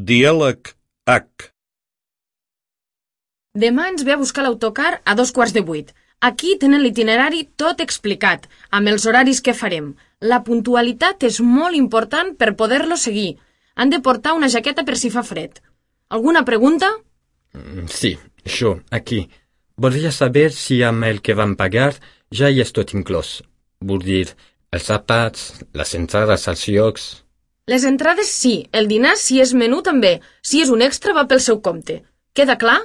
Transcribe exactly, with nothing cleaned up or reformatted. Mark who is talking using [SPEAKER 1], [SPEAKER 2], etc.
[SPEAKER 1] Diàleg H.
[SPEAKER 2] Demà ens ve a buscar l'autocar a dos quarts de vuit. Aquí tenen l'itinerari tot explicat, amb els horaris que farem. La puntualitat és molt important per poder-lo seguir. Han de portar una jaqueta per si fa fred. Alguna pregunta?
[SPEAKER 3] Sí, això, aquí. Voldria saber si amb el que vam pagar ja hi és tot inclòs. Vull dir, els àpats, les entrades als llocs...
[SPEAKER 2] Les entrades sí, el dinar si és menú també. Si és un extra va pel seu compte. Queda clar?